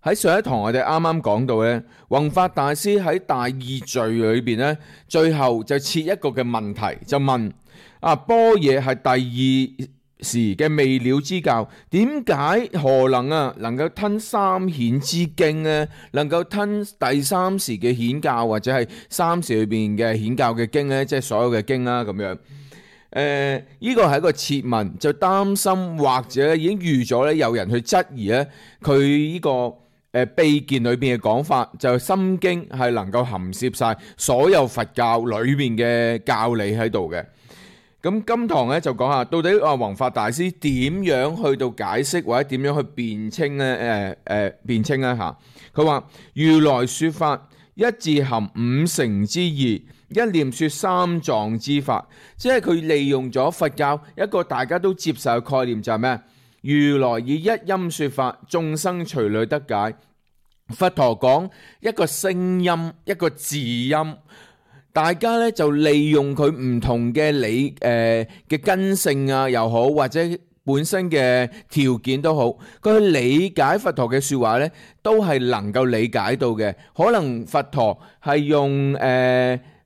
喺上一堂我哋啱啱講到咧，弘法大師喺大義序裏邊咧，最後就設一個嘅問題，就問般若係第二時嘅未了之教，點解何能夠吞三顯之經呢？能夠吞第三時嘅顯教或者係三時裏邊嘅顯教嘅經呢？即係所有嘅經啦咁樣。呢個係一個設問，就擔心或者已經預咗咧，有人去質疑咧佢呢個秘見裏邊嘅講法，就係心經係能夠含攝晒所有佛教裏邊嘅教理喺度嘅。咁今堂咧就講下到底弘法大師點樣去到解釋或者點樣去辯稱咧？辯稱咧嚇，佢話如來說法一字含五乘之義，一念說三藏之法，即係佢利用咗佛教一個大家都接受嘅概念，就係咩？如來以一音說法，眾生隨類得解。佛陀講一個聲音，一個字音。大家咧就利用佢唔同嘅嘅根性啊又好，或者本身嘅條件都好，佢去理解佛陀嘅說話咧，都係能夠理解到嘅。可能佛陀係用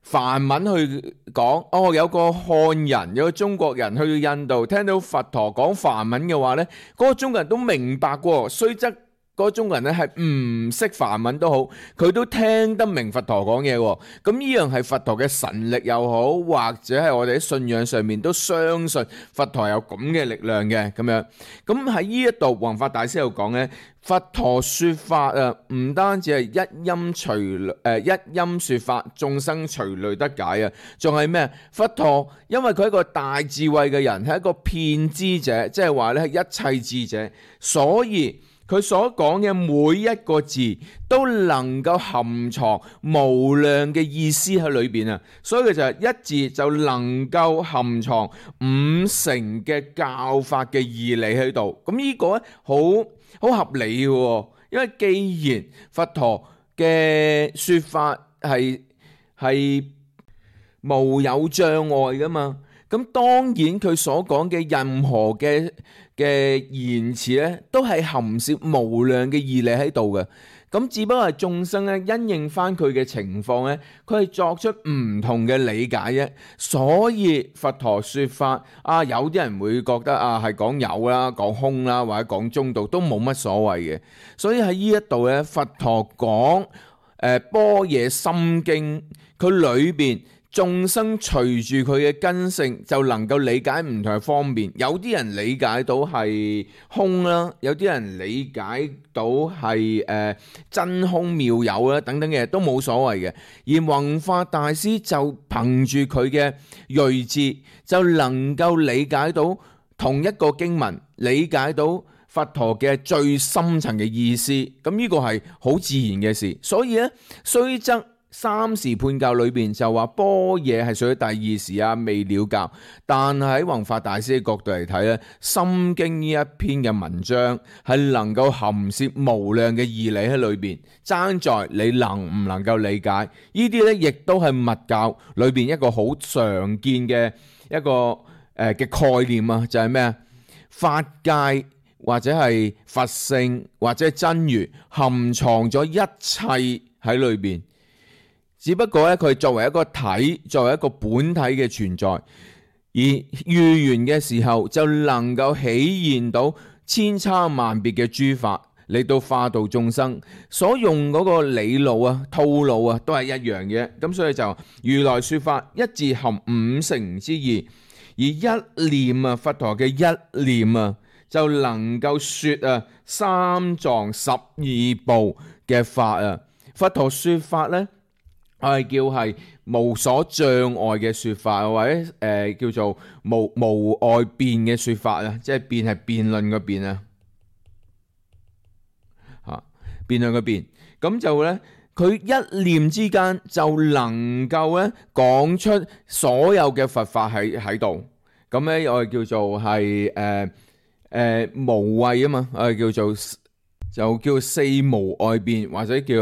梵文去講，有個漢人，有個中國人去到印度，聽到佛陀講梵文嘅話咧，嗰個中國人都明白喎，雖則嗰個中國人咧係唔識梵文都好，佢都聽得明佛陀講嘢喎。咁呢樣係佛陀嘅神力又好，或者係我哋喺信仰上面都相信佛陀有咁嘅力量嘅咁樣。咁喺呢一度弘法大師又講咧，佛陀說法唔單止係一音說法，眾生隨類得解啊，仲係咩？佛陀因為佢係一個大智慧嘅人，係一個遍知者，即係話咧係一切智者，所以佢所講嘅每一個字都能夠含藏無量嘅意思喺裏邊啊！所以佢就係一字就能夠含藏五乘嘅教法嘅義理喺度。咁呢個咧好合理嘅，因為既然佛陀嘅說法係無有障礙噶嘛，咁當然佢所講嘅任何嘅言辭咧，都係含攝無量嘅義理喺度嘅。咁只不過係眾生咧因應翻佢嘅情況咧，佢係作出唔同嘅理解啫。所以佛陀說法有啲人會覺得係講有啦、講空啦，或者講中道都冇乜所謂嘅。所以喺呢一度咧，佛陀講般若心經，佢裏邊眾生隨住佢嘅根性就能夠理解唔同嘅方面，有啲人理解到係空啦，有啲人理解到係真空妙有啦，等等嘅都冇所謂嘅。而弘法大師就憑住佢嘅睿智，就能夠理解到同一個經文，理解到佛陀嘅最深層嘅意思。咁呢個係好自然嘅事。所以咧，雖則三時判教裏邊就話般若係屬於第二時未了教，但係喺弘法大師嘅角度嚟睇咧，心經呢一篇嘅文章係能夠含攝無量嘅義理喺裏邊，爭在你能唔能夠理解。呢啲咧亦都係密教裏邊一個好常見嘅一個嘅概念啊，就係咩啊？法界或者係佛性或者真如含藏咗一切喺裏邊。只不過咧，佢作為一個體，作為一個本體嘅存在，而遇緣嘅時候就能夠顯現到千差萬別嘅諸法嚟到化度眾生，所用嗰個理路套路都係一樣嘅。咁所以就如來說法一字含五乘之義，而一念佛陀嘅一念就能夠說三藏十二部嘅法佛陀說法咧，我係叫係無所障礙嘅說法，或者叫做無礙辯嘅說法即係辯係辯論嘅辯辯論嘅辯。咁就咧，佢一念之間就能夠咧講出所有嘅佛法喺度。咁咧我哋叫做係無畏嘛，我哋就叫四無礙辯，或者叫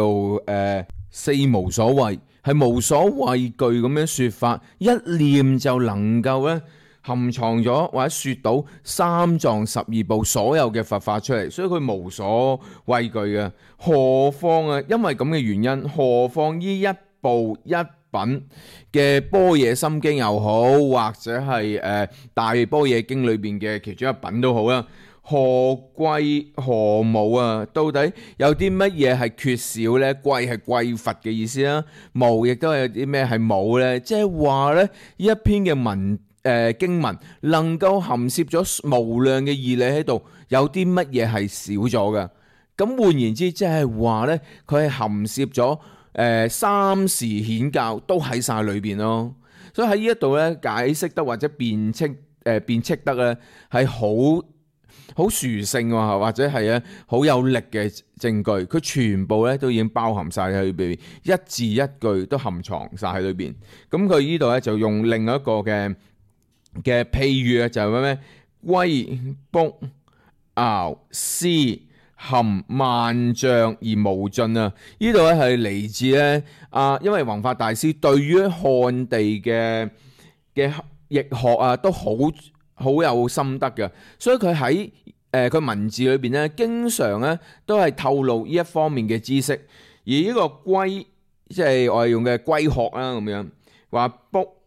四無所畏。係無所畏懼咁樣說法，一念就能夠咧含藏咗或者說到三藏十二部所有嘅佛法出嚟，所以佢無所畏懼嘅。何況啊，因為咁嘅原因，何況呢一部一品嘅般若心經又好，或者係大般若經裏邊嘅其中一品都好啦。何貴何無啊？到底有啲乜嘢係缺少呢？貴係匱乏嘅意思啦，無亦都係有啲咩係冇呢？即係話呢，呢一篇嘅經文能夠含攝咗無量嘅義理喺度，有啲乜嘢係少咗嘅？咁換言之，即係話呢，佢係含攝咗三時顯教都喺晒裏邊咯。所以喺呢一度呢，解釋得或者辯斥得呢係好殊勝喎，或者係咧好有力嘅證據，佢全部咧都已經包含晒喺裏邊，一字一句都含藏晒喺裏邊。咁佢呢度咧就用另一個嘅譬喻啊，就係咩龜卜翱絲含萬象而無盡啊！呢度咧係嚟自咧因為弘法大師對於漢地嘅易學啊都好有心得嘅，所以佢喺佢文字裏邊咧，經常咧都係透露呢一方面嘅知識。而呢個龜，即係我哋用嘅龜殼啦，咁樣話卜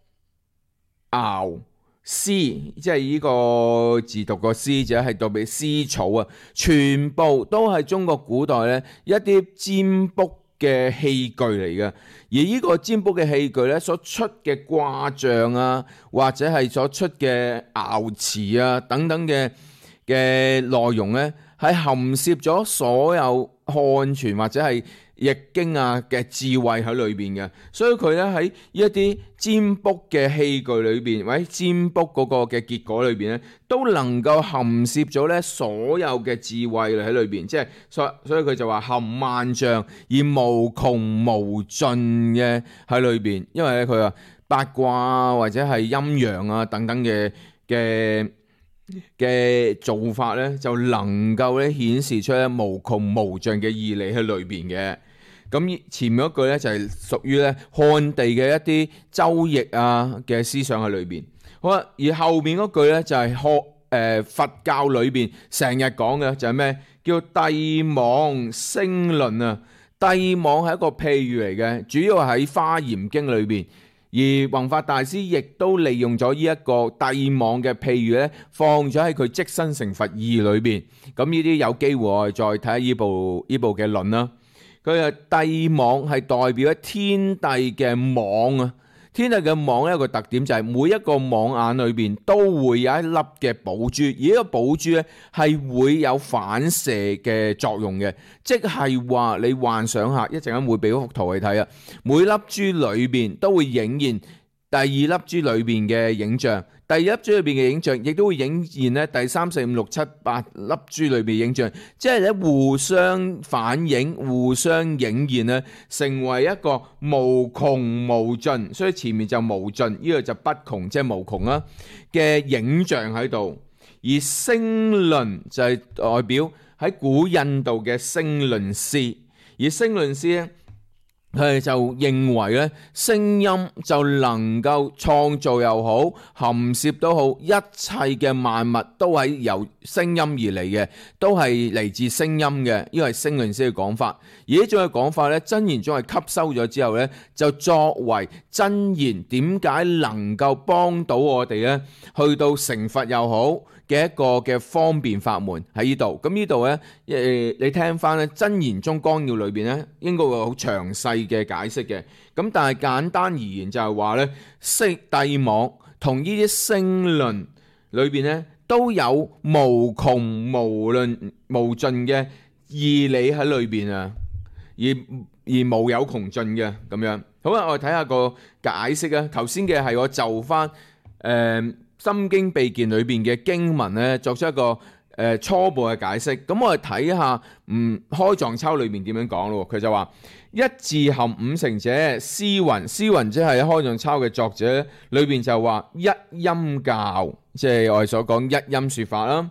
翱絲，即係呢個字讀個絲，就係代表絲草啊，全部都係中國古代咧一啲占卜嘅器具嚟嘅。而呢個占卜嘅器具咧，所出嘅卦象啊，或者係所出嘅爻辭啊等等嘅內容咧，係含攝咗所有漢傳或者係易經啊嘅智慧喺裏邊嘅。所以佢咧喺一啲占卜嘅器具裏邊，或者占卜嗰個嘅結果裏邊咧，都能夠含攝咗咧所有嘅智慧喺裏邊。即係所以佢就話含萬象而無窮無盡嘅喺裏邊。因為咧佢話八卦或者係陰陽啊等等嘅做法咧，就能夠咧顯示出咧無窮無盡嘅義理喺裏邊嘅。咁前面嗰句咧就係屬於咧漢地嘅一啲周易啊嘅思想喺裏邊。好啦，而後面嗰句咧就係佛教裏邊成日講嘅就係咩？叫帝莽星論啊。帝莽係一個譬喻嚟嘅，主要喺《華嚴經》裏邊。而弘法大師亦都利用咗呢一個帝莽嘅譬喻咧，放咗喺佢即身成佛義裏邊。咁呢啲有機會我哋再睇下呢部嘅論啦。佢嘅帝莽係代表咗天帝嘅網啊。天帝嘅網一個特點就係每一個網眼裏邊都會有一粒嘅寶珠，而呢個寶珠咧係會有反射嘅作用嘅，即係話你幻想下，一陣間會俾幅圖你睇啊。每粒珠裏邊都會影現第二粒珠裏邊嘅影像，第二粒珠裏邊嘅影像亦都會影現咧第三四五六七八粒珠裏邊影像，即係咧互相反映、互相影現咧，成為一個無窮無盡。所以前面就無盡，呢個就不窮，即係無窮啦嘅影像喺度。而星論就係代表喺古印度嘅星論師，而星論師咧，佢哋就認為咧，聲音就能夠創造又好，含攝都好，一切嘅萬物都係由聲音而嚟嘅，都係嚟自聲音嘅。呢個係星論師嘅講法。而呢種嘅講法咧，真言宗係吸收咗之後咧，就作為真言點解能夠幫到我哋咧，去到成佛又好嘅一個嘅方便法門喺呢度。咁呢度咧，你聽翻咧《真言宗綱要》裏邊咧，應該會好詳細嘅解釋嘅。咁但係簡單而言就係話咧，帝莽同呢啲星論裏邊咧，都有無窮無盡嘅義理喺裏邊啊，而無有窮盡嘅咁樣。好啦，我哋睇下個解釋啊。頭先嘅係我就翻心經秘鍵裏邊嘅經文咧，作出一個初步嘅解釋。咁我哋睇下開藏抄裏面點樣講咯。佢就話一字含五成者，師云即係開藏抄嘅作者裏邊就話一音教，即係我哋所講一音說法啦。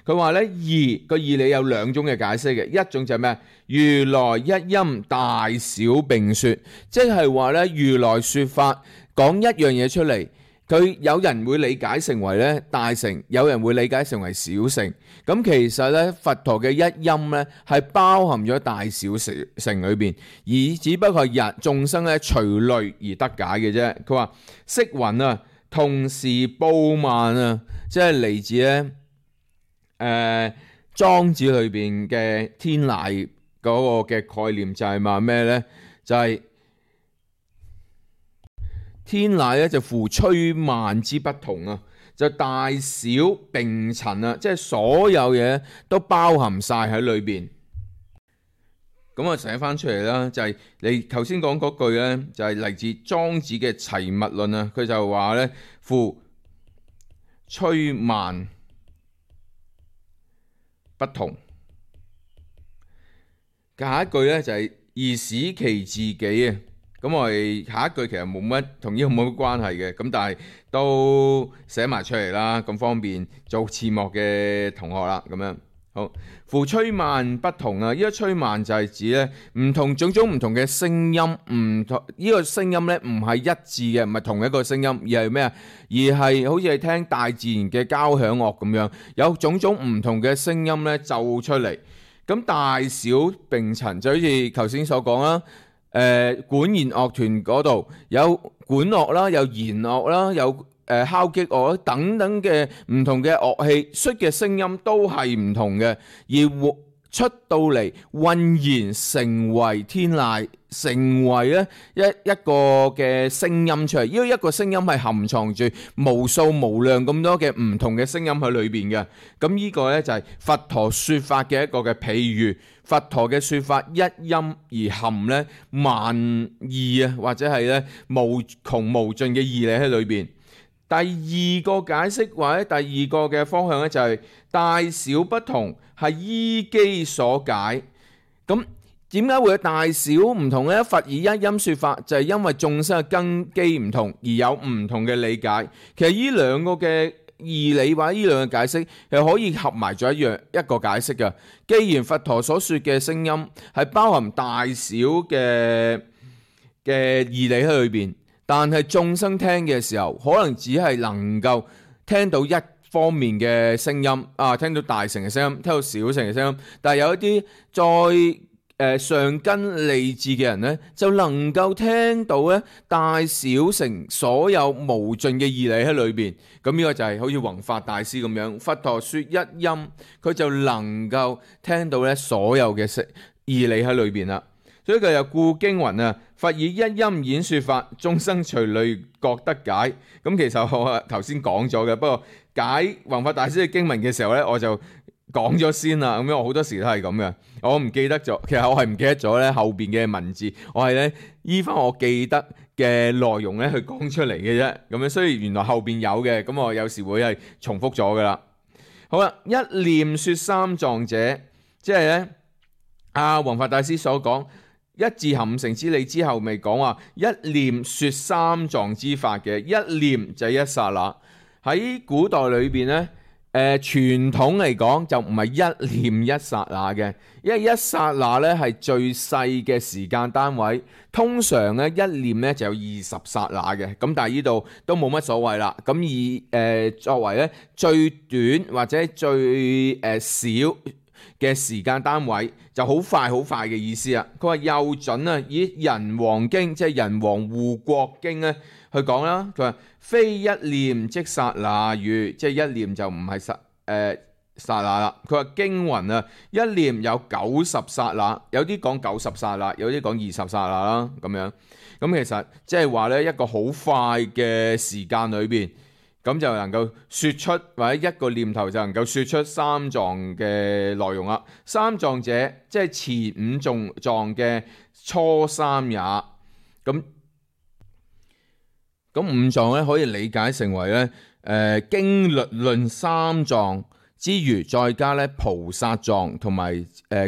佢話咧義個義理有兩種嘅解釋嘅，一種就係咩？如來一音大小並說，即係話咧如來說法講一樣嘢出嚟。佢有人會理解成為咧大乘，有人會理解成為小乘。咁其實咧佛陀嘅一音咧係包含咗大小乘裏邊，而只不過係眾生咧隨類而得解嘅啫。佢話色雲啊，同時布萬啊，即係嚟自咧莊子裏邊嘅天籟嗰個嘅概念，就係話咩咧？就係、天籟咧就乎吹蔓之不同啊，就大小並陳啊，即係所有嘢都包含晒喺裏邊。咁我寫翻出嚟啦，就係你頭先講嗰句咧，就係嚟自莊子嘅齊物論啊。佢就話咧，乎吹蔓不同。下一句咧就係而使其自己啊。咁我哋下一句其實冇乜同呢個冇乜關係嘅，咁但係都寫埋出嚟啦，咁方便做字幕嘅同學啦，咁樣好。乎吹蔓不同啊，呢個吹蔓就係指咧唔同種種唔同嘅聲音，唔同呢個聲音咧唔係一致嘅，唔係同一個聲音，而係咩啊？而係好似係聽大自然嘅交響樂咁樣，有種種唔同嘅聲音咧奏出嚟。咁大小並陳就好似頭先所講啦。管弦樂團嗰度有管樂啦，有弦樂啦，有敲擊樂等等嘅唔同嘅樂器，出嘅聲音都係唔同嘅，而出到嚟渾然成為天籟，成為咧一個嘅聲音出嚟。因為一個聲音係含藏住無數無量咁多嘅唔同嘅聲音喺裏邊嘅。咁呢個咧就係佛陀說法嘅一個嘅譬喻。佛陀嘅說法一音而含咧萬義啊，或者係咧無窮無盡嘅義理喺裏邊。第二個解釋或者第二個嘅方向咧就係大小不同係依機所解。咁點解會有大小唔同呢？佛以一音說法就係因為眾生嘅根基唔同而有唔同嘅理解。其實呢兩個嘅義理或者呢兩個解釋係可以合埋咗一個解釋嘅。既然佛陀所說嘅聲音係包含大小嘅義理喺裏邊，但係眾生聽嘅時候可能只係能夠聽到一方面嘅聲音啊，聽到大乘嘅聲音，聽到小乘嘅聲音，但係有一啲再上根利智嘅人呢，就能夠聽到咧大小乘所有無盡嘅義理喺裏邊。咁呢個就係好似弘法大師咁樣，佛陀說一音，佢就能夠聽到咧所有嘅義理喺裏邊啦。所以佢又故經云啊，佛以一音演說法，眾生隨類各得解。咁其實我頭先講咗嘅，不過解弘法大師嘅經文嘅時候咧，我就講咗先啦。咁樣我好多時都係咁嘅，我唔記得咗。其實我係唔記得咗咧後邊嘅文字，我係咧依翻我記得嘅內容咧去講出嚟嘅啫。咁樣雖然原來後邊有嘅，咁我有時會係重複咗噶啦。好啦，一念說三藏者，即係咧弘法大師所講。一字含五乘之理之後，未講話一念說三藏之法嘅，一念就係一剎那。喺古代裏邊咧，傳統嚟講就唔係一念一剎那嘅，因為一剎那咧係最細嘅時間單位，通常咧一念咧就有20剎那嘅，咁但係呢度都冇乜所謂啦。咁以作為咧最短或者最少嘅時間單位就好快好快嘅意思啊！佢話又準啊，以人王經即係人王護國經咧去講啦。佢話非一念即剎那語，即係一念就唔係剎那啦。佢話經云啊，一念有90剎那，有啲講90剎那，有啲講20剎那啦咁樣。咁其實即係話咧一個好快嘅時間裏邊。咁就能夠說出，或者一個念頭就能夠說出三藏嘅內容啦。三藏者，即係前五藏嘅初三也。咁五藏咧可以理解成為咧經律論三藏之餘，再加咧菩薩藏同埋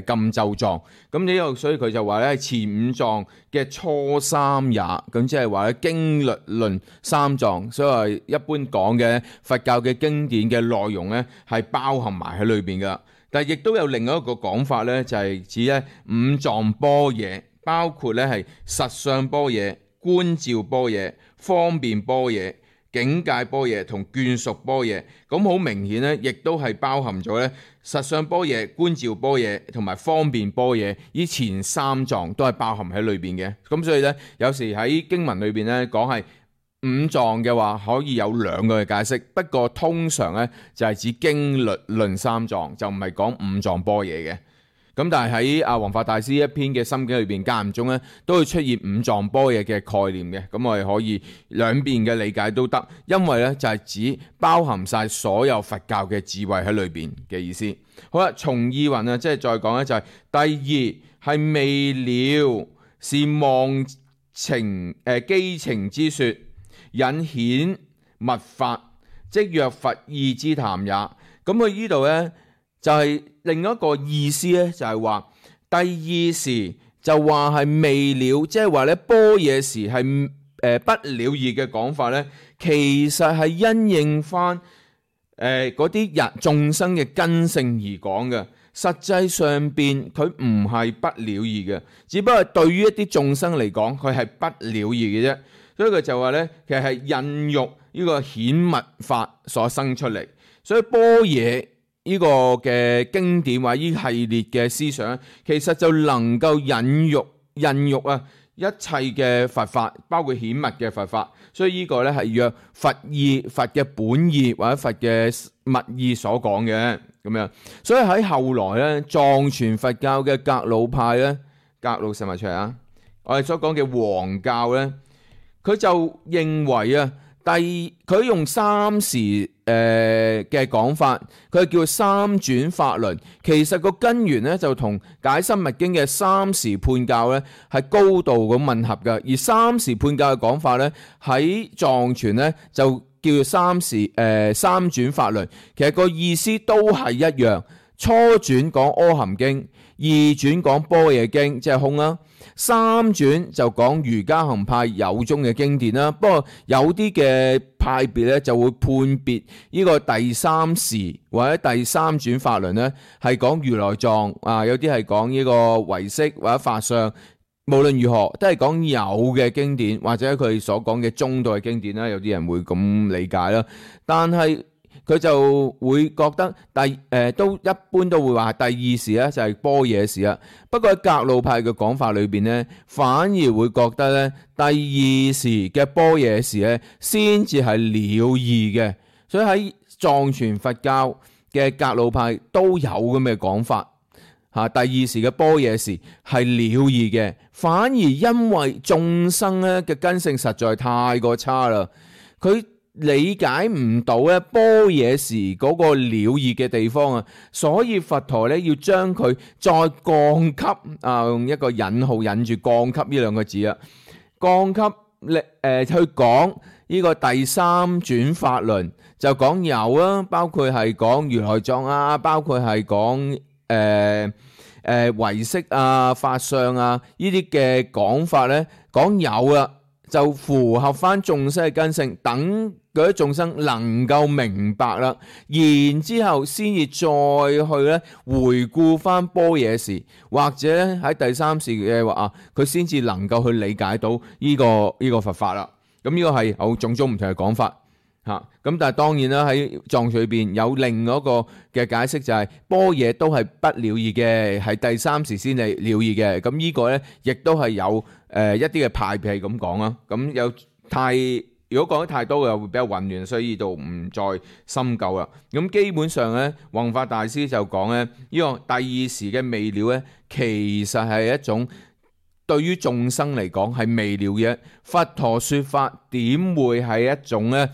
禁咒藏。咁呢個所以佢就話咧前五藏嘅初三也，咁即係話咧經律論三藏。所以話一般講嘅佛教嘅經典嘅內容咧係包含埋喺裏邊噶。但係亦都有另外一個講法咧，就係指咧五藏般若，包括咧係實相般若、觀照般若、方便般若、警戒般若同眷屬般若，咁好明顯咧，亦都係包含咗咧實相般若、觀照般若同埋方便般若，呢前三藏都係包含喺裏邊嘅。咁所以咧，有時喺經文裏邊咧講係五藏嘅話，可以有兩個嘅解釋。不過通常咧就係指經律論三藏，就唔係講五藏般若嘅。咁但係喺阿弘法大師一篇嘅心經裏邊，間唔中咧都會出現五藏般若嘅概念嘅。咁我哋可以兩邊嘅理解都得，因為咧就係指包含晒所有佛教嘅智慧喺裏邊嘅意思。好啦，從意云啊，即係再講咧就係第二係未了，是妄情機情之說，引顯密法，即若佛意之談也。咁佢呢度咧就係另一個意思咧，就係話第二時就話係未了，即係話咧般若時係不了義嘅講法咧，其實係因應翻嗰啲人眾生嘅根性而講嘅。實際上邊佢唔係不了義嘅，只不過對於一啲眾生嚟講，佢係不了義嘅啫。所以佢就話咧，其實係孕育呢個顯密法所生出嚟。所以般若呢個嘅經典或者呢系列嘅思想，其實就能夠孕育啊一切嘅佛法，包括顯密嘅佛法。所以呢個咧係若佛意、佛嘅本意或者佛嘅密意所講嘅咁樣。所以喺後來咧，藏傳佛教嘅格魯派咧，格魯寫埋出嚟啊！我哋所講嘅黃教咧，佢就認為啊，佢用三時嘅講法，佢叫三轉法輪。其實個根源咧就同解深密經嘅三時判教咧係高度咁吻合嘅。而三時判教嘅講法咧喺藏傳咧就叫做三轉法輪。其實個意思都係一樣。初轉講阿含經，二轉講般若經，即係空啦。三轉就講瑜伽行派有宗嘅經典啦。不過有啲嘅派別咧就會判別呢個第三時或者第三轉法輪咧係講如來藏啊，有啲係講呢個唯識或者法相。無論如何都係講有嘅經典或者佢所講嘅中道嘅經典啦。有啲人會咁理解啦，但係佢就會覺得都一般都會話第二時咧就係般若時啦。不過喺格魯派嘅講法裏邊咧，反而會覺得咧第二時嘅般若時咧先至係了義嘅。所以喺藏傳佛教嘅格魯派都有咁嘅講法嚇。第二時嘅般若時係了義嘅，反而因為眾生咧嘅根性實在太過差啦，佢理解唔到咧般若時嗰個了義嘅地方啊，所以佛陀咧要將佢再降級啊，用一個引號引住降級呢兩個字啊，降級去講呢個第三轉法輪，就講有啊，包括係講如來藏啊，包括係講唯識啊、法相啊呢啲嘅講法咧，講有啦，就符合翻眾生嘅根性，等嗰啲眾生能夠明白啦，然之後先至再去咧回顧翻般若時，或者咧喺第三時嘅話啊，佢先至能夠去理解到呢個佛法啦。咁呢個係有種種唔同嘅講法嚇。咁但係當然啦，喺藏傳裏邊有另一個嘅解釋，就係般若都係不了義嘅，係第三時先係了義嘅。咁呢個咧亦都係有一啲嘅派別係咁講啦。咁如果講得太多又會比較混亂，所以呢度唔再深究啦。咁基本上咧，弘法大師就講咧，呢個第二時嘅未了咧，其實係一種對於眾生嚟講係未了嘅。佛陀說法點會係一種咧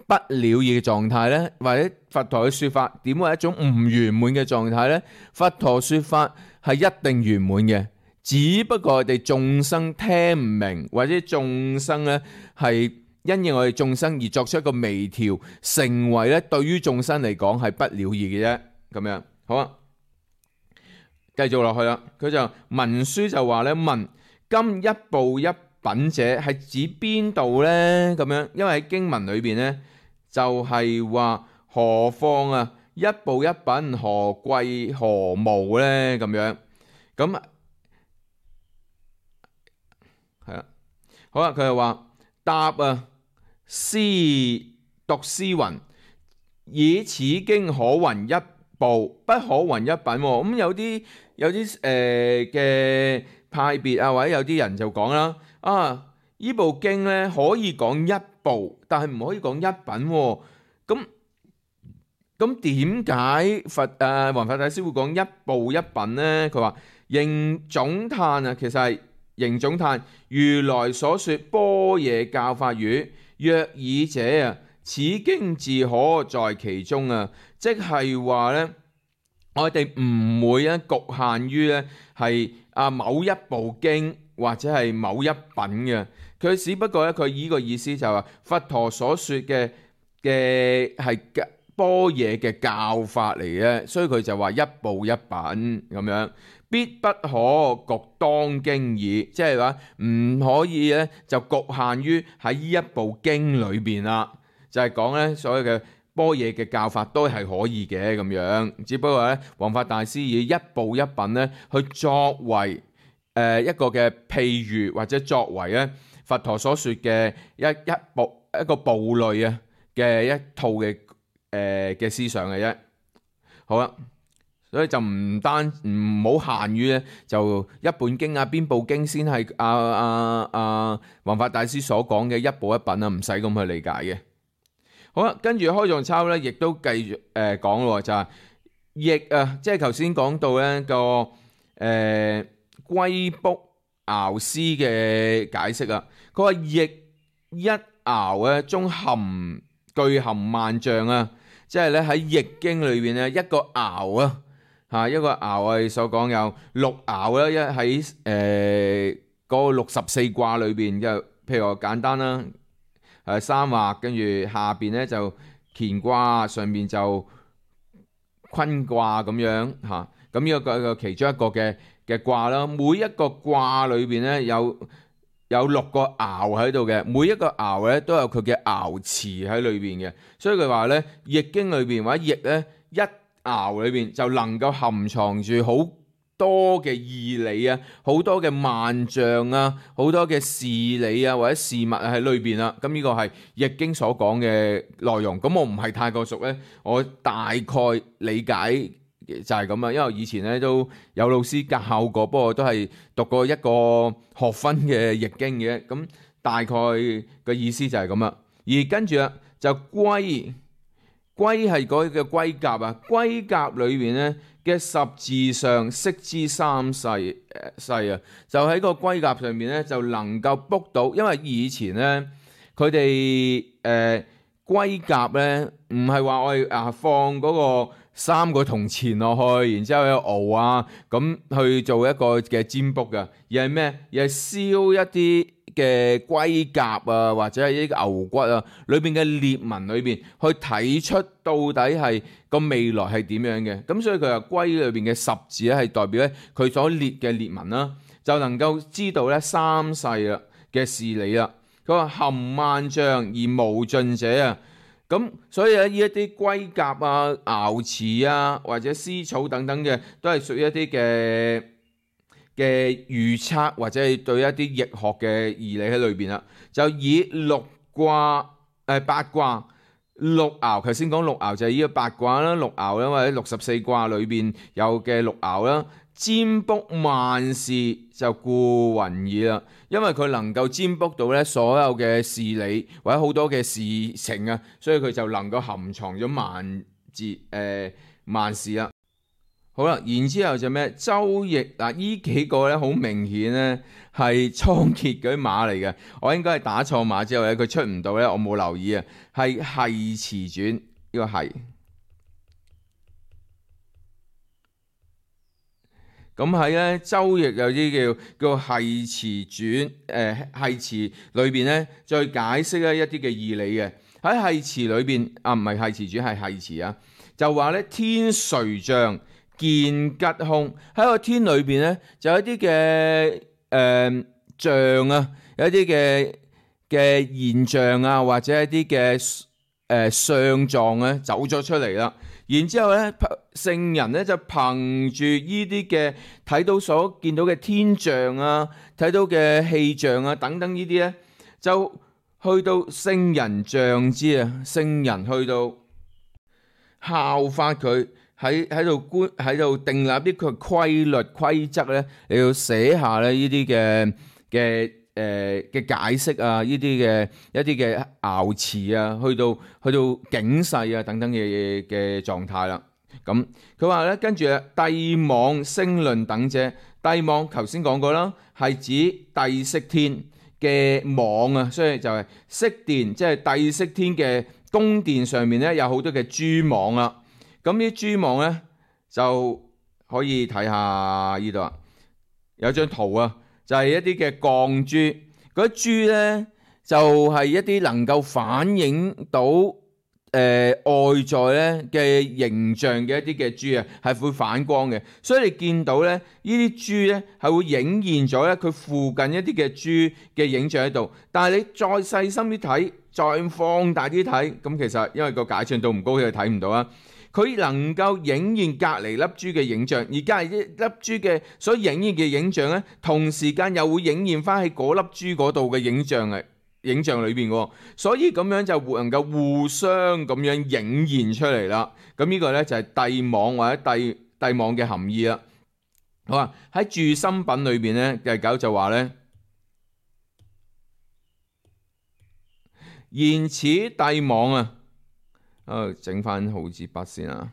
不了義嘅狀態咧？或者佛陀嘅說法點會係一種唔圓滿嘅狀態咧？佛陀說法係一定圓滿嘅，只不過我哋眾生聽唔明，或者眾生咧係因應我哋眾生而作出一個微調，成為咧對於眾生嚟講係不了義嘅啫。咁樣好啊，繼續落去啦。佢就文書就話咧，問今一部一品者係指邊度咧？咁樣，因為喺經文裏邊咧就係話何況啊，一部一品何貴何無咧？咁樣咁係啦。好啦，佢就話答啊。詩讀詩云：以此經可云一部，不可云一品。咁有啲嘅派別啊，或者有啲人就講啦，呢部經咧可以講一部，但係唔可以講一品喎。咁點解弘法大師會講一部一品呢？佢話仍總嘆啊，其實係仍總嘆如來所說般若教法語，若爾者啊，此經自可在其中啊，即係話呢，我哋唔會局限於呢係某一部經或者係某一品嘅。佢只不過咧，佢呢個意思就係話佛陀所說嘅係般若嘅教法嚟嘅，所以佢就話一部一品咁樣，必不可局當經耳，即係話唔可以咧就局限於喺呢一部經裏邊啦，就係講咧所有嘅般若嘅教法都係可以嘅咁樣，只不過咧弘法大師以一部一品咧去作為一個嘅譬喻，或者作為咧佛陀所說嘅一個部類啊嘅一套嘅思想嘅啫。好啦，所以就唔好限於咧，就一本經邊部經先係弘法大師所講嘅一部一品啊，唔使咁去理解嘅。好啦，跟住開藏抄咧，亦都繼續講咯，就係譯啊，即係頭先講到咧個龜卜爻詩嘅解釋啊。佢話譯一爻咧中具含萬象啊，即係咧喺譯經裏邊咧一個爻啊，一個爻係所講有六爻啦，一喺嗰64卦裏邊嘅，譬如話簡單啦，三畫，跟住下邊咧就乾卦，上邊就坤卦咁樣嚇，咁呢個其中一個嘅卦啦，每一個卦裏邊咧有6個爻喺度嘅，每一個爻咧都有佢嘅爻辭喺裏邊嘅，所以佢話咧譯經裏邊或者譯咧一爻裏邊就能夠含藏住好多嘅義理啊，好多嘅萬象啊，好多嘅事理啊或者事物喺裏邊啦。咁呢個係譯經所講嘅內容。咁我唔係太過熟咧，我大概理解就係咁啊。因為以前咧都有老師教過，不過都係讀過一個學分嘅譯經嘅。咁大概嘅意思就係咁啦。而跟住啊就龜係嗰個龜甲啊，龜甲裏邊咧嘅十字上識之三世啊，就喺個龜甲上面咧就能夠卜到，因為以前咧佢哋龜甲咧唔係話我哋放嗰個3個銅錢落去，然之後有熬啊咁去做一個嘅占卜㗎，而係咩？而係燒一啲嘅龜甲啊，或者係呢個牛骨啊，裏邊嘅裂紋裏邊去睇出到底係個未來係點樣嘅。咁所以佢話龜裏邊嘅十字咧係代表咧佢所裂嘅裂紋啦，就能夠知道咧三世啦嘅事理啦。佢話含萬象而無盡者啊，咁所以咧呢一啲龜甲啊、爻辭啊或者絲草等等嘅，都係屬於一啲嘅預測或者係對一啲易學嘅義理喺裏邊啦。就以八卦六爻，頭先講六爻就係呢個八卦啦，六爻啦或者64卦裏邊有嘅六爻啦，占卜萬事就故云矣啦。因為佢能夠占卜到咧所有嘅事理或者好多嘅事情啊，所以佢就能夠含藏咗萬事啦。好啦，然之後就咩？周易嗱，呢幾個咧好明顯咧係倉頡嗰啲碼嚟嘅，我應該係打錯碼之後咧佢出唔到咧，我冇留意啊，係繫辭傳呢個係。咁喺咧周易有啲叫繫辭傳，繫辭裏邊咧再解釋咧一啲嘅義理嘅。喺繫辭裏邊唔係繫辭傳係繫辭啊，就話咧天垂象見吉凶，喺個天裏邊咧就有一啲嘅象啊，有一啲嘅現象啊，或者一啲嘅相狀咧走咗出嚟啦。然之後咧聖人咧就憑住呢啲嘅睇到所見到嘅天象啊，睇到嘅氣象啊等等呢啲咧，就去到聖人像之啊，聖人去到效法佢喺度訂立啲佢規律規則咧，你要寫下咧呢啲嘅解釋啊，呢啲嘅一啲嘅爻辭啊，去到警世啊等等嘅狀態啦。咁佢話咧，跟住帝莽星論等者，帝莽頭先講過啦，係指帝釋天嘅莽啊，所以就係釋殿，即係帝釋天嘅宮殿上面咧有好多嘅蛛網啦。咁呢啲蛛網咧就可以睇下呢度啊，有張圖啊，就係一啲嘅鋼珠，嗰啲珠咧就係一啲能夠反映到外在咧嘅形象嘅一啲嘅珠啊，係會反光嘅，所以你見到咧呢啲珠咧係會影現咗咧佢附近一啲嘅珠嘅影像喺度，但係你再細心啲睇，再放大啲睇，咁其實因為個解像度唔高，佢睇唔到啊。佢能夠影現隔離粒珠嘅影像，而隔離一粒珠嘅所影現嘅影像咧，同時間又會影現翻喺嗰粒珠嗰度嘅影像裏邊嘅，所以咁樣就能夠互相咁樣影現出嚟啦。咁呢個咧就係帝莽或者帝莽嘅含義啦。好啊，喺注心品裏邊咧，第9就話咧，言此帝莽啊。整翻好字筆先啊！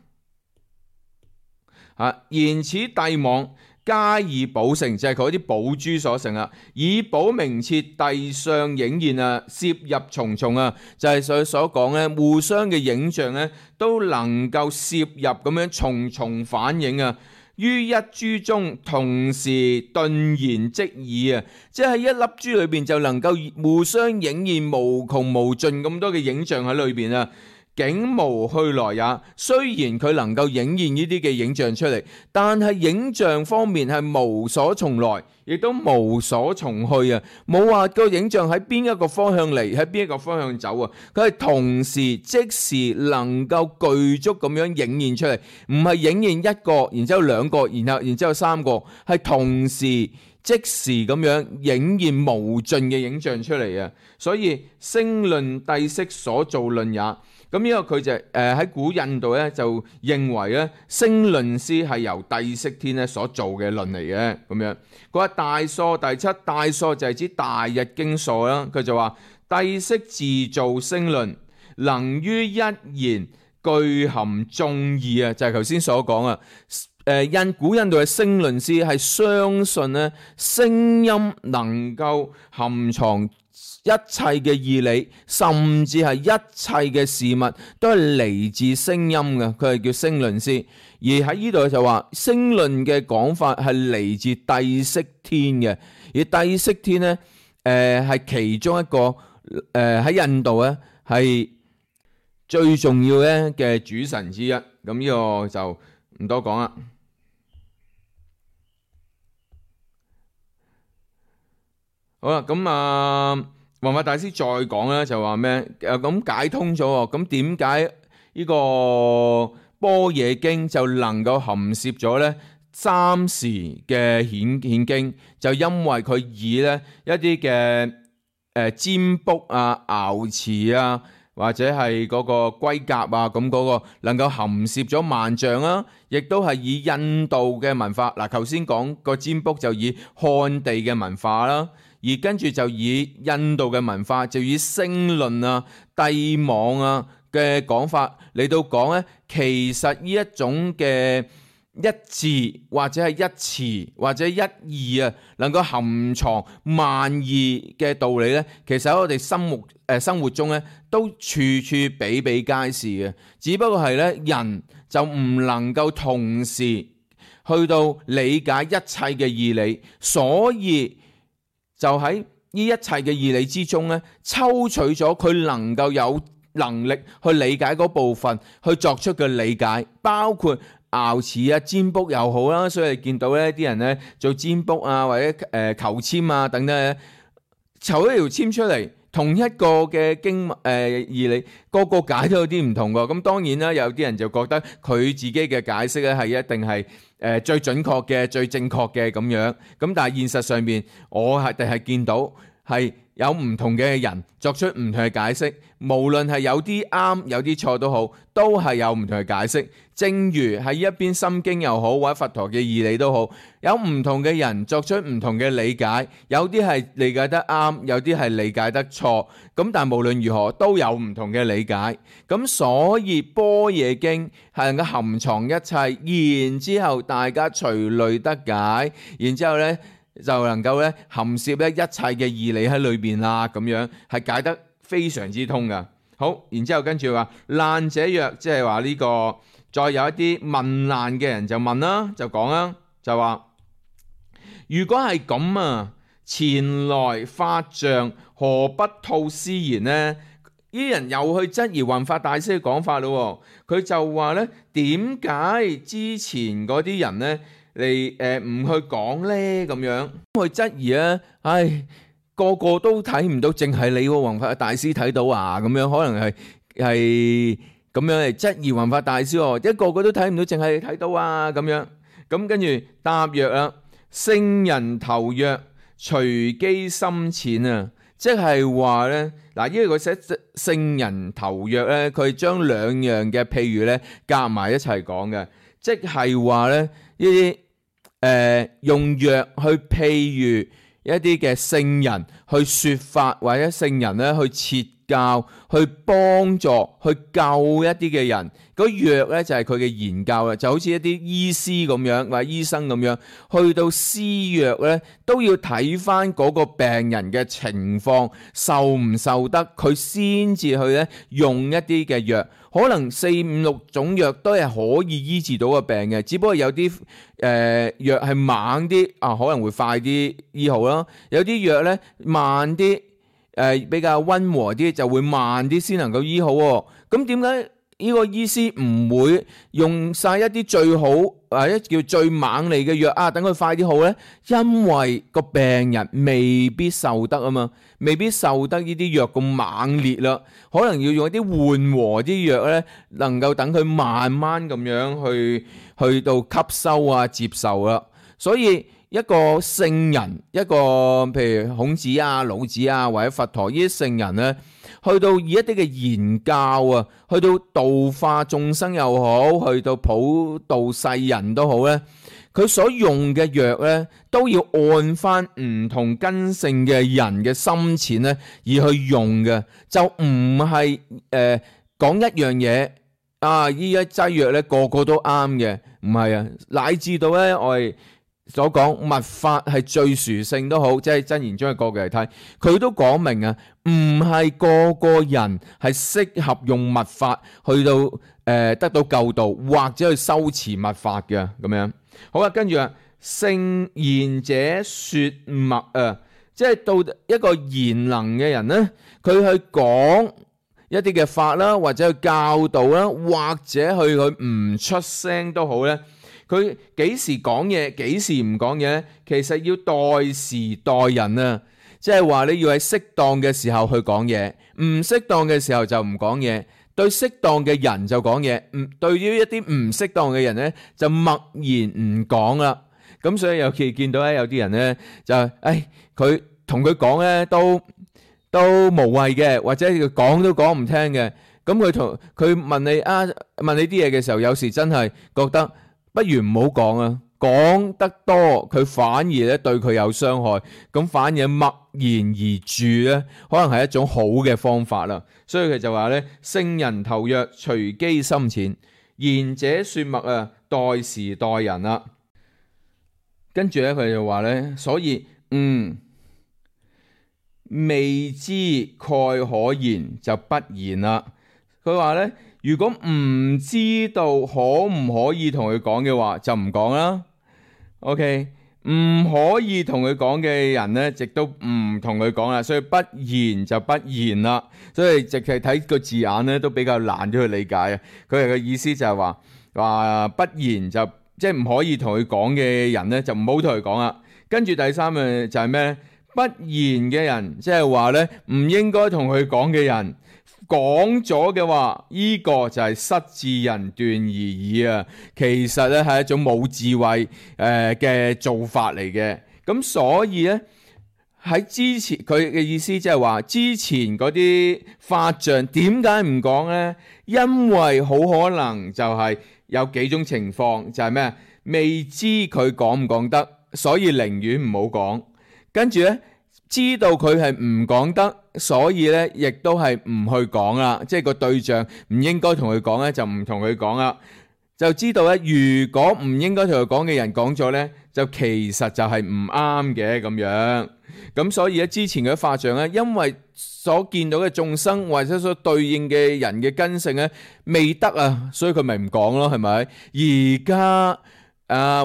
言此帝莽，加以寶成，就係佢啲寶珠所成啊，以寶明徹帝相影現啊，攝入重重啊，就係所講咧，互相嘅影像咧都能夠攝入咁樣重重反映啊，於一珠中同時頓然即耳啊，即係一粒珠裏邊就能夠互相影現無窮無盡咁多嘅影像喺裏邊啊。景無去來也，雖然佢能夠影現呢啲嘅影像出嚟，但係影像方面係無所從來，亦都無所從去啊！冇話個影像喺邊一個方向嚟，喺邊一個方向走啊！佢係同時即時能夠具足咁樣影現出嚟，唔係影現一個，然之後兩個，然之後三個，係同時即時咁樣影現無盡嘅影像出嚟啊！所以星論帝釋所造論也。咁呢個佢就喺古印度咧就認為咧星論師係由帝釋天咧所做嘅論嚟嘅咁樣。佢話大疏第7，大疏就係指大日經疏啦。佢就話帝釋自造星論，能於一言具含眾義啊，就係頭先所講啊。古印度嘅星論師係相信咧聲音能夠含藏一切嘅義理，甚至係一切嘅事物都係嚟自聲音嘅，佢係叫星論師。而喺呢度就話星論嘅講法係嚟自帝釋天嘅，而帝釋天咧係其中一個喺印度咧係最重要咧嘅主神之一。咁呢個就唔多講啦。好啦，咁弘法大師再講咧，就話咩？咁解通咗，咁點解呢個般若經就能夠含攝咗咧3時嘅顯經？就因為佢以咧一啲嘅占卜啊、爻辭啊，或者係嗰個龜甲啊，咁嗰個能夠含攝咗萬象啊，亦都係以印度嘅文化。嗱，頭先講個占卜就以漢地嘅文化啦。而跟住就以印度嘅文化，就以星論啊、帝莽啊嘅講法嚟到講咧，其實呢一種嘅一字或者係一詞或者一義啊，能夠含藏萬義嘅道理咧，其實喺我哋生活中咧都處處比比皆是嘅。只不過係咧人就唔能夠同時去到理解一切嘅義理，所以就喺呢一切嘅義理之中咧，抽取咗佢能夠有能力去理解嗰部分，去作出嘅理解，包括爻辭啊、占卜又好啦。所以你見到咧啲人咧做占卜啊，或者求籤啊等等咧，求一條籤出嚟，同一個嘅經義理，個個解都有啲唔同㗎。咁當然啦，有啲人就覺得佢自己嘅解釋咧係一定係最準確嘅、最正確嘅咁樣。咁但係現實上面，我哋係見到係有唔同嘅人作出唔同嘅解釋，無論係有啲啱有啲錯都好，都係有唔同嘅解釋。正如喺一邊心經又好，或者佛陀嘅義理都好，有唔同嘅人作出唔同嘅理解，有啲係理解得啱，有啲係理解得錯。咁但係無論如何都有唔同嘅理解。咁所以般若經係能夠含藏一切，然之後大家隨類得解，然之後呢就能夠咧含攝咧一切嘅義理喺裏邊啦，咁樣係解得非常之通噶。好，然之後跟住話難者曰，即係話呢個再有一啲問難嘅人就問啦，就講啦，就話如果係咁啊，前來法像何不吐斯言呢？呢啲人又去質疑弘法大師嘅講法咯。佢就話咧，點解之前嗰啲人咧嚟唔去講咧？咁樣去質疑啊！唉，個個都睇唔到，淨係你弘法大師睇到啊！咁樣可能係咁樣嚟質疑弘法大師喎，一個個都睇唔到，淨係你睇到啊！咁樣咁跟住答曰啦，聖人頭曰隨機深淺啊！即係話咧，嗱，因為佢寫聖人頭曰咧，佢將兩樣嘅譬如咧夾埋一齊講嘅，即係話咧呢啲用藥去譬喻一啲嘅聖人去説法，或者聖人咧去設教、去幫助、去救一啲嘅人。嗰藥咧就係佢嘅研究啦，就好似一啲醫師咁樣，或者醫生咁樣，去到施藥咧都要睇翻嗰個病人嘅情況受唔受得，佢先至去咧用一啲嘅藥。可能4、5、6種藥都係可以醫治到個病嘅，只不過有啲藥係猛啲啊，可能會快啲醫好啦；有啲藥咧慢啲，比較溫和啲就會慢啲先能夠醫好。咁點解呢個醫師唔會用晒一啲最好或者叫最猛利嘅藥啊，等佢快啲好呢？因為個病人未必受得啊嘛，未必受得呢啲藥咁猛烈啦，可能要用一啲緩和啲藥呢，能夠等佢慢慢咁樣去到吸收啊、接受啦。所以一個聖人，一個譬如孔子啊、老子啊或者佛陀呢啲聖人呢，去到以一啲嘅言教啊，去到度化眾生又好，去到普度世人都好咧，佢所用嘅藥咧，都要按翻唔同根性嘅人嘅深淺咧而去用嘅，就唔係講一樣嘢啊！呢一劑藥咧個個都啱嘅，唔係啊，乃至到咧我哋所講密法係最殊勝都好，即係真言中嘅角度嚟睇，佢都講明啊，唔係個個人係適合用密法去到得到救度或者去修持密法嘅咁樣。好啦，跟住啊，聖賢者說默啊，即係到一個賢能嘅人咧，佢去講一啲嘅法啦，或者去教導啦，或者去唔出聲都好咧。佢幾時講嘢，幾時唔講嘢咧？其實要待時待人啊，即係話你要喺適當嘅時候去講嘢，唔適當嘅時候就唔講嘢。對適當嘅人就講嘢，對於一啲唔適當嘅人咧就默然唔講啦。咁所以尤其見到咧有啲人咧就佢同佢講咧都無謂嘅，或者佢講都講唔聽嘅。咁佢問你啲嘢嘅時候，有時真係覺得不如唔好講啊，講得多佢反而咧對佢有傷害，咁反而默然而住咧，可能係一種好嘅方法啦。所以佢就話咧，聖人頭曰隨機深淺，賢者說默啊，待時待人啦。跟住咧佢就話咧，所以未知蓋可言就不言啦。佢話咧，如果唔知道可唔可以同佢講嘅話，就唔講啦。OK， 唔可以同佢講嘅人咧，亦都唔同佢講啦。所以不言就不言啦。所以直係睇個字眼咧，都比較難啲去理解啊。佢嘅意思就係話不言就即係唔可以同佢講嘅人咧，就唔好同佢講啦。跟住第三樣就係咩咧？不言嘅人，即係話咧唔應該同佢講嘅人。講咗嘅話，呢個就係失智人斷而已啊！其實咧係一種冇智慧嘅做法嚟嘅。咁所以咧喺之前佢嘅意思即係話，之前嗰啲法像點解唔講呢？因為好可能就係有幾種情況，就係咩？未知佢講唔講得，所以寧願唔好講。跟住呢，知道佢係唔講得，所以呢亦都係唔去講啦。即係個對象唔應該同佢講呢，就唔同佢講啦。就知道咧，如果唔應該同佢講嘅人講咗呢，就其實就係唔啱嘅咁樣。咁所以咧，之前嘅法像咧，因為所見到嘅眾生或者所對應嘅人嘅根性咧未得啊，所以佢咪唔講咯，係咪？而家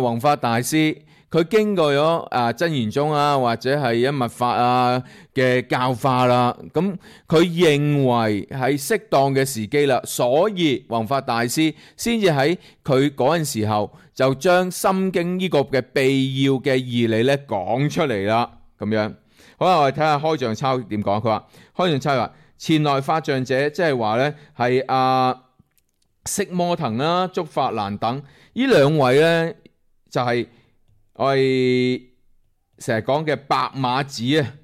弘法大師佢經過咗真言宗或者係一密法嘅教化啦，咁佢認為係適當嘅時機啦，所以弘法大師先至喺佢嗰陣時候就將心經呢個嘅秘要嘅義理咧講出嚟啦，咁樣。好啦，我哋睇下開像抄點講。佢話開像抄話前來法像者，即係話咧係釋摩騰啦、竺法蘭等呢兩位咧，就係我哋成日講嘅白馬子啊，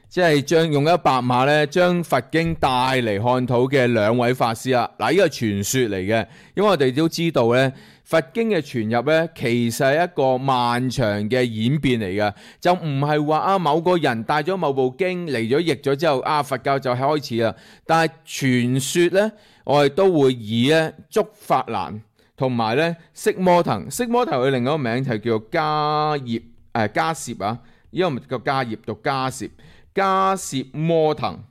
即係用一白馬咧，將佛經帶嚟漢土嘅兩位法師啦。嗱，呢個係傳說嚟嘅，因為我哋都知道咧，佛經嘅傳入咧，其實係一個漫長嘅演變嚟嘅，就唔係話某個人帶咗某部經嚟咗譯咗之後佛教就係開始啦。但係傳說咧，我哋都會以咧竺法蘭同埋咧釋摩騰，釋摩騰佢另一個名就叫做迦葉迦葉啊，因為唔叫迦葉，讀迦葉，迦葉摩騰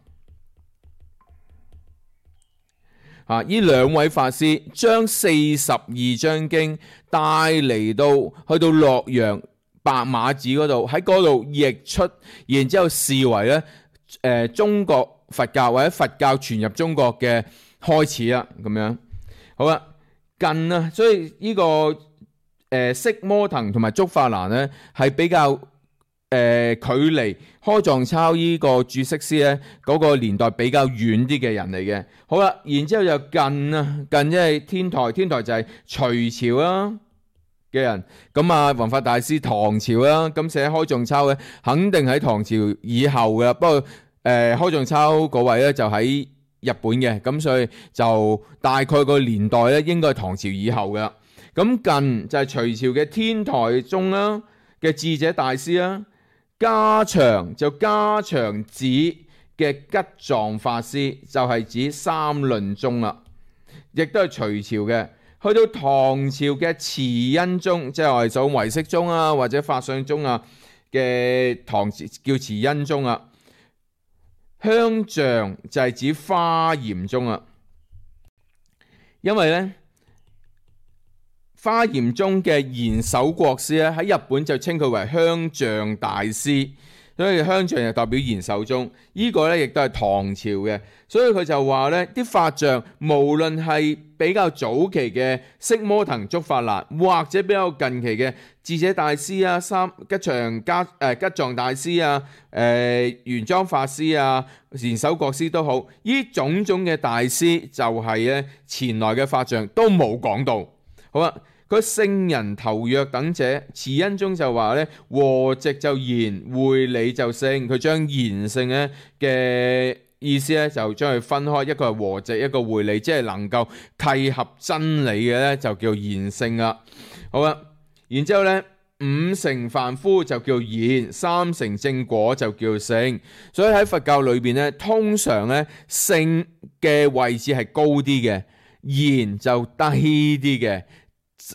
呢兩位法師將42章經帶嚟到去到洛陽白馬寺嗰度，喺嗰度譯出，然之後視為咧中國佛教或者佛教傳入中國嘅開始啦，咁樣好啦。近所以呢個釋摩騰同埋竺法蘭咧係比較距離開藏抄呢個注釋師咧嗰個年代比較遠啲嘅人嚟嘅。好啦，然之後就近即係天台就係隋朝嘅人，咁弘法大師唐朝啦，咁寫開藏抄咧肯定喺唐朝以後嘅，不過開藏抄嗰位咧就喺日本嘅，咁所以就大概個年代咧應該係唐朝以後嘅。咁近就係隋朝嘅天台宗啦嘅智者大師啦，加長就加長寺嘅吉藏法師，就係指三論宗啦，亦都係隋朝嘅。去到唐朝嘅慈恩宗，即係我哋所謂唯識宗或者法相宗嘅唐叫慈恩宗啊。香象就係指華嚴宗因為咧華嚴宗嘅賢首國師咧喺日本就稱佢為香象大師，所以香象就代表賢首宗，呢個咧亦都係唐朝嘅，所以佢就話咧啲法像無論係比較早期嘅釋摩騰、竺法蘭，或者比較近期嘅智者大師吉藏大師玄奘法師賢首國師都好，呢種種嘅大師就係咧前來嘅法像都冇講到。好啦，佢聖人頭若等者，慈恩宗就話咧和直就賢，會理就聖，佢將賢聖咧嘅意思咧就將佢分開，一個係和直，一個會理，即係能夠契合真理嘅咧就叫賢聖啦。好啦，然之後咧五成凡夫就叫賢，三成正果就叫聖。所以喺佛教裏邊咧，通常咧聖嘅位置係高啲嘅，賢就低啲嘅。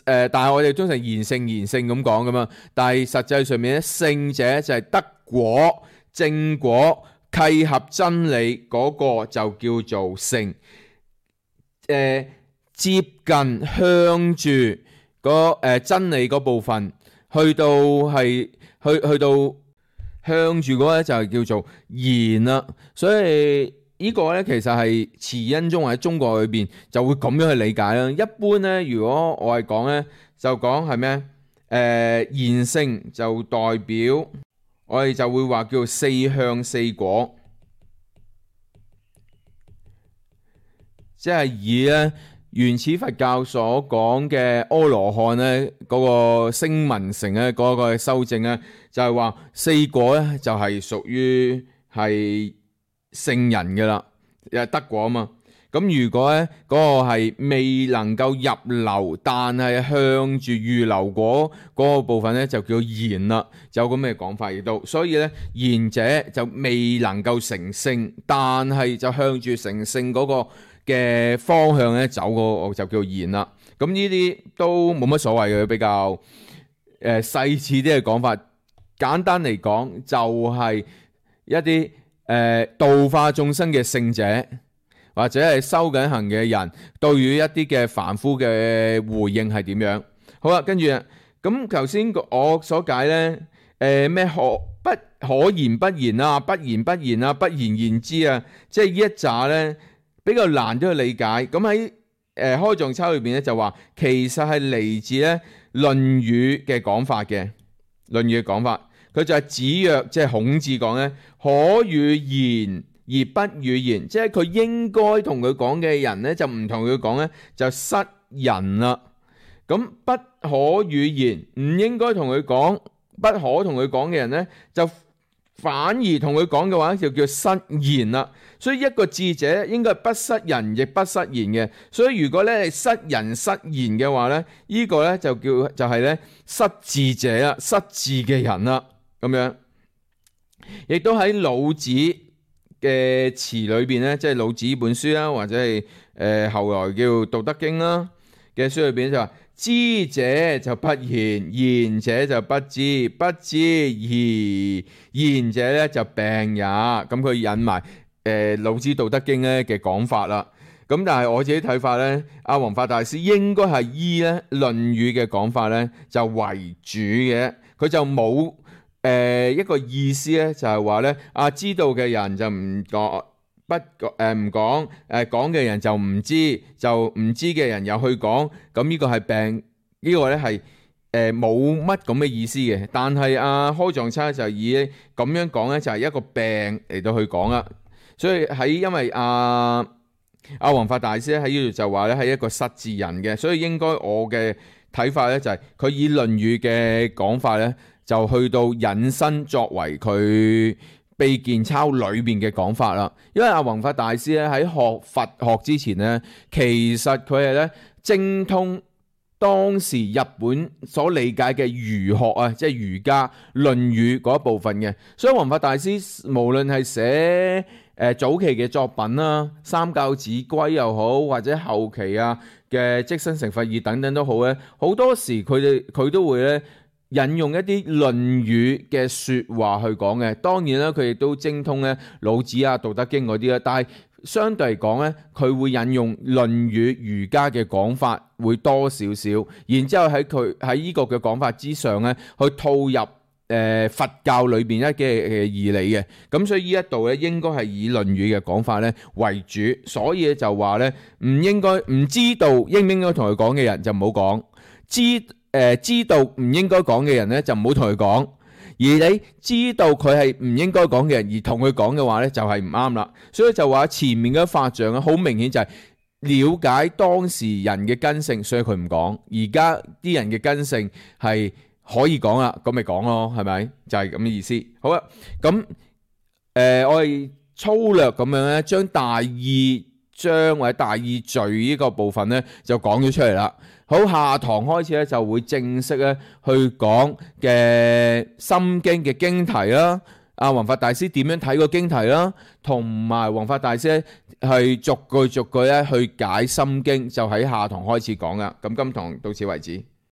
但係我哋通常賢聖咁講噶嘛，但係實際上面咧聖者就係得果、正果、契合真理嗰個就叫做聖。接近向住真理嗰部分，去到向住嗰咧就係叫做賢啦。所以呢個咧其實係慈恩宗喺中國裏邊就會咁樣去理解啦。一般咧，如果我係講咧，就講係咩？賢聖就代表我哋就會話叫四向四果，即係以咧原始佛教所講嘅阿羅漢咧，嗰個聲聞乘咧，嗰個修正咧，就係話四果咧就係屬於係聖人嘅啦，又得果啊嘛。咁如果咧嗰個係未能夠入流，但係向住預流果嗰個部分咧，就叫賢啦，就有咁嘅講法亦都。所以咧賢者就未能夠成聖，但係就向住成聖嗰個嘅方向咧走，嗰個就叫賢啦。咁呢啲都冇乜所謂嘅，比較細緻啲嘅講法。簡單嚟講，就係一啲度化眾生嘅聖者，或者係修緊行嘅人，對於一啲嘅凡夫嘅回應係點樣？好啦，跟住咁頭先我所解咧，咩不可言不言啊，不言不言啊，不言言之啊，即係呢一紮咧比較難啲去理解。咁喺開藏抄裏邊咧就話，其實係嚟自咧《論語》嘅講法嘅，《論語》嘅講法，佢就係子曰，即係孔子講咧，可與言而不與言，即係佢應該同佢講嘅人咧，就唔同佢講咧，就失人啦。咁不可與言，唔應該同佢講，不可同佢講嘅人咧，就反而同佢講嘅話，就叫失言啦。所以一個智者應該係不失人，亦不失言嘅。所以如果咧係失人失言嘅話咧，呢個咧就係咧失智者啦，失智嘅人啦，咁樣。亦都喺老子嘅詞裏邊咧，即係老子本書啦，或者係後來叫《道德經》啦嘅書裏邊就話：知者就不言，言者就不知，不知而言者咧就病也。咁佢引埋老子《道德經》咧嘅講法啦。咁但係我自己睇法咧，阿弘法大師應該係依咧《論語》嘅講法咧就為主嘅，佢就冇一個意思咧，就係話咧知道嘅人就唔講，唔講，講嘅人就唔知，就唔知嘅人又去講，咁呢個係病，呢個咧係冇乜咁嘅意思嘅。但係開藏差就以咁樣講咧，就係一個病嚟到去講啦。所以因為阿弘法大師咧喺呢度就話咧係一個失智人嘅，所以應該我嘅睇法咧就係佢以《論語》嘅講法咧，就去到引申作為佢秘見抄裏邊嘅講法啦。因為阿弘法大師咧喺學佛學之前咧，其實佢係咧精通當時日本所理解嘅儒學啊，即係儒家《論語》嗰一部分嘅。所以弘法大師無論係寫早期嘅作品啦，《三教子規》又好，或者後期嘅《即身成佛義》等等都好咧，好多時佢都會咧引用一啲《論語》嘅説話去講嘅。當然啦，佢亦都精通咧老子啊、《道德經》嗰啲啦，但係相對嚟講咧，佢會引用《論語》儒家嘅講法會多少少，然之後喺呢個嘅講法之上咧，去套入佛教裏邊一嘅義理嘅。咁所以呢一度咧，應該係以《論語》嘅講法咧為主，所以就話咧唔知道應唔應該同佢講嘅人就唔好講，知道唔應該講嘅人咧就唔好同佢講。而你知道佢係唔應該講嘅人而同佢講嘅話咧，就係唔啱啦。所以就話前面嘅法像咧，好明顯就係了解當時人嘅根性，所以佢唔講。而家啲人嘅根性係可以講啦，咁咪講咯，係咪？就係咁嘅意思。好啦，咁我哋粗略咁樣咧，將大義章或者大義序呢個部分咧就講咗出嚟啦。好，下堂開始咧就會正式咧去講嘅心經嘅經題啦，阿弘法大師點樣睇個經題啦，同埋弘法大師咧係逐句咧去解心經，就喺下堂開始講啦。咁今堂到此為止。